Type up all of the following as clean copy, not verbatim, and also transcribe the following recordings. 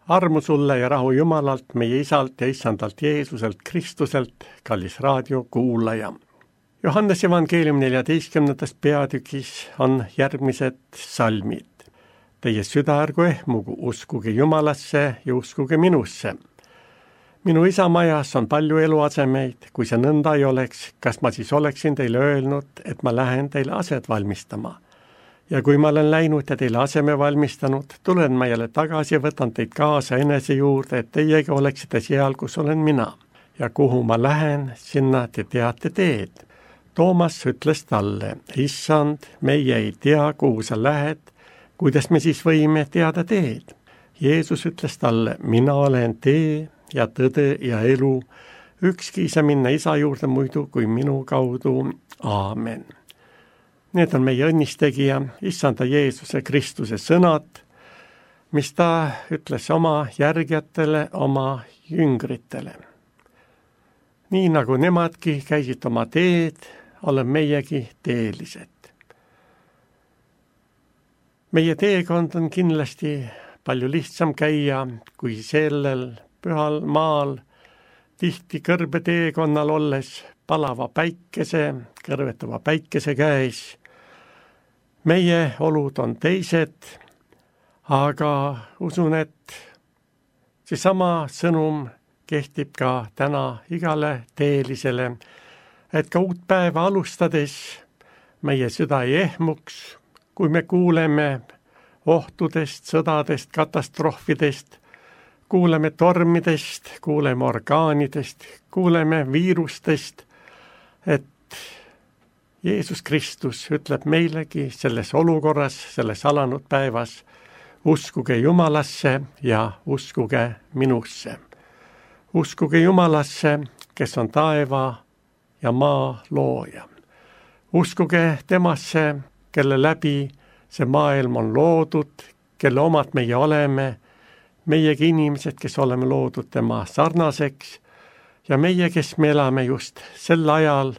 Armu sulle ja rahu Jumalalt, meie Isalt ja Issandalt Jeesuselt Kristuselt, kallis raadiokuulaja. Johannes evangeelium 14. peatükis on järgmised salmid. Teie süda ärgu ehmugu, uskuge Jumalasse ja uskuge minusse. Minu isa majas on palju eluasemeid, kui see nõnda ei oleks, kas ma siis oleksin teile öelnud, et ma lähen teile aset valmistama. Ja kui ma olen läinud ja teile aseme valmistanud, tulen ma jälle tagasi ja võtan teid kaasa enese juurde, et teiegi oleksite seal, kus olen mina. Ja kuhu ma lähen, sinna te teate teed. Toomas ütles talle, issand, meie ei tea, kuhu sa lähed, kuidas me siis võime teada teed. Jeesus ütles talle, mina olen tee ja tõde ja elu, ükski ei saa minna isa juurde muidu kui minu kaudu. Aamen. Need on meie õnnistegija, issanda Jeesuse Kristuse sõnad, mis ta ütles oma järgijatele, oma jüngritele. Nii nagu nemadki käisid oma teed, olen meiegi teelised. Meie teekond on kindlasti palju lihtsam käia, kui sellel pühal maal tihti kõrbe teekonnal olles palava päikese, kõrvetava päikese käes. Meie olud on teised, aga usun, et seesama sõnum kehtib ka täna igale teelisele, et ka uut päeva alustades meie süda ei ehmuks, kui me kuuleme ohtudest, sõdadest, katastroofidest, kuuleme tormidest, kuuleme orkaanidest, kuuleme viirustest, et Jeesus Kristus ütleb meilegi selles olukorras, selles alanud päevas, uskuge Jumalasse ja uskuge minusse. Uskuge Jumalasse, kes on taeva ja maa looja. Uskuge temasse, kelle läbi see maailm on loodud, kelle omad meie oleme, meiegi inimesed, kes oleme loodud tema sarnaseks ja meie, kes me elame just sel ajal,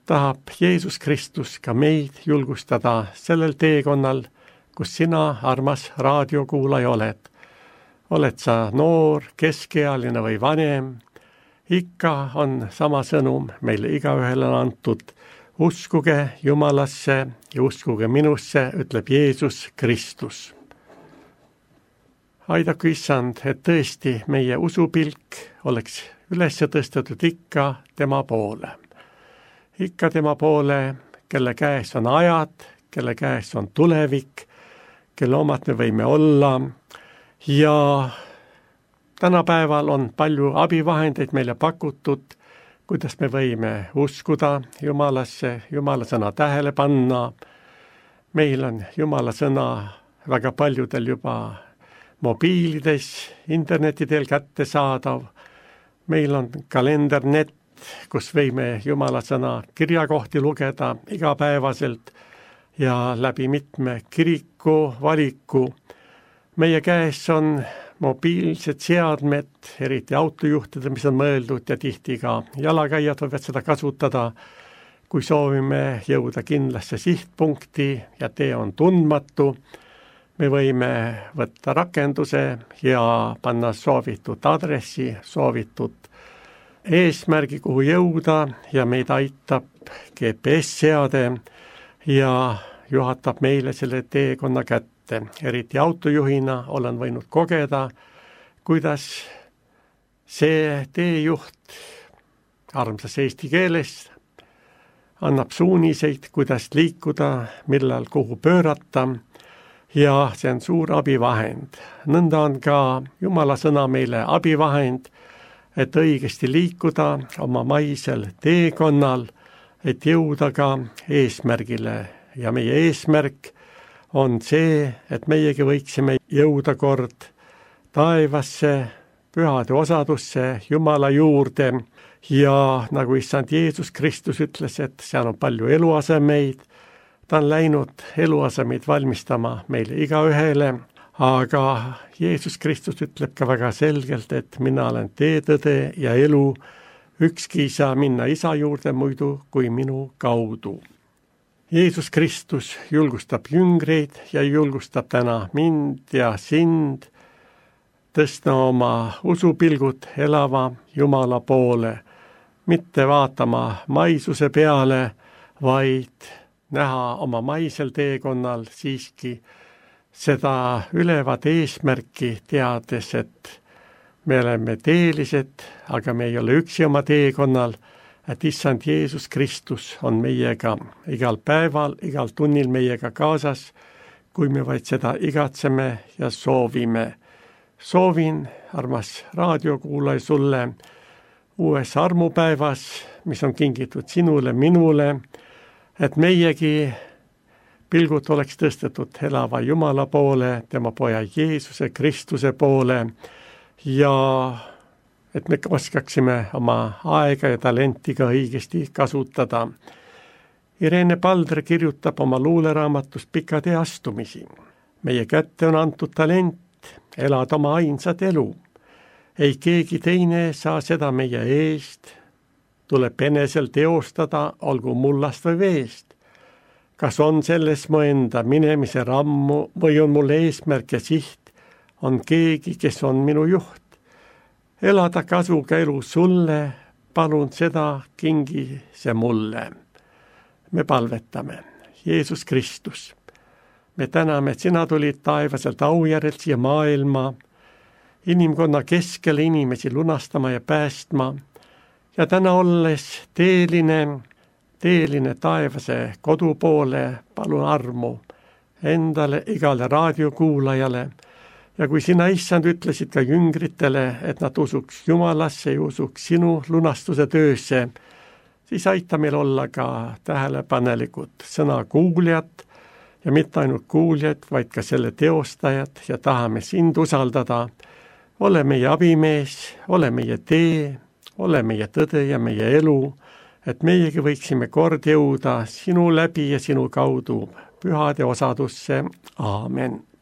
tahab Jeesus Kristus ka meid julgustada sellel teekonnal, kus sina, armas raadiokuulaja, oled. Oled sa noor, keskealine või vanem, ikka on sama sõnum meile igaühele antud. Uskuge Jumalasse ja uskuge minusse, ütleb Jeesus Kristus. Aidaku issand, et tõesti meie usupilk oleks üles tõstetud ikka tema poole. Ikka tema poole, kelle käes on ajad, kelle käes on tulevik, kelle omad me võime olla. Ja tänapäeval on palju abivahendeid meile pakutud, kuidas me võime uskuda Jumalasse, Jumala sõna tähele panna. Meil on Jumala sõna väga paljudel juba mobiilides, internetidel kättesaadav. Meil on kalendernet, kus võime Jumala sõna kirjakohti lugeda igapäevaselt ja läbi mitme kiriku valiku. Meie käes on mobiilsed seadmed, eriti autojuhtide, mis on mõeldud ja tihti ka jalakäijad võivad seda kasutada, kui soovime jõuda kindlasse sihtpunkti ja tee on tundmatu. Me võime võtta rakenduse ja panna soovitud aadressi, soovitud eesmärgi, kuhu jõuda ja meid aitab GPS-seade ja juhatab meile selle teekonna kätte. Eriti autojuhina olen võinud kogeda, kuidas see teejuht armsas eesti keeles annab suuniseid, kuidas liikuda, millal kuhu pöörata ja see on suur abivahend. Nõnda on ka Jumala sõna meile abivahend, et õigesti liikuda oma maisel teekonnal, et jõuda ka eesmärgile ja meie eesmärk on see, et meiegi võiksime jõuda kord taevasse, pühade osadusse, Jumala juurde ja nagu issand Jeesus Kristus ütles, et seal on palju eluasemeid, ta on läinud eluasemeid valmistama meile igaühele, aga Jeesus Kristus ütleb ka väga selgelt, et mina olen tee, tõde ja elu, ükski ei saa minna isa juurde muidu kui minu kaudu. Jeesus Kristus julgustab jüngreid ja julgustab täna mind ja sind tõsta oma usupilgud elava Jumala poole, mitte vaatama maisuse peale, vaid näha oma maisel teekonnal siiski seda ülevat eesmärki, teades, et me oleme teelised, aga me ei ole üksi oma teekonnal, et Issand Jeesus Kristus on meiega igal päeval, igal tunnil meiega kaasas, kui me vaid seda igatseme ja soovime. Soovin, armas raadiokuulaja, sulle uues armupäevas, mis on kingitud sinule, minule, et meiegi pilgud oleks tõstetud elava Jumala poole, tema poja Jeesuse Kristuse poole ja et me oskaksime oma aega ja talenti ka õigesti kasutada. Irene Paldre kirjutab oma luuleraamatus Pika tee astumisi. Meie kätte on antud talent elada oma ainsat elu. Ei keegi teine saa seda meie eest. Tuleb enesel teostada, olgu mullast või veest. Kas on selles mu enda minemise rammu või on mul eesmärk ja siht? On keegi, kes on minu juht. Elada kasuga elu sulle, palun seda kingi see mulle. Me palvetame, Jeesus Kristus. Me täname, et sina tulid taevaselt aujärjelt siia maailma, inimkonna keskel inimesi lunastama ja päästma ja täna olles teeline taevase kodu poole, palun armu endale, igale raadiokuulajale. Ja kui sina, Issand, ütlesid ka jüngritele, et nad usuks Jumalasse ja usuks sinu lunastuse töösse, siis aita meil olla ka tähelepanelikud sõna kuuljad ja mitte ainult kuuljad, vaid ka selle teostajad ja tahame sind usaldada. Ole meie abimees, ole meie tee, ole meie tõde ja meie elu, et meiegi võiksime kord jõuda sinu läbi ja sinu kaudu pühade osadusse. Aamen.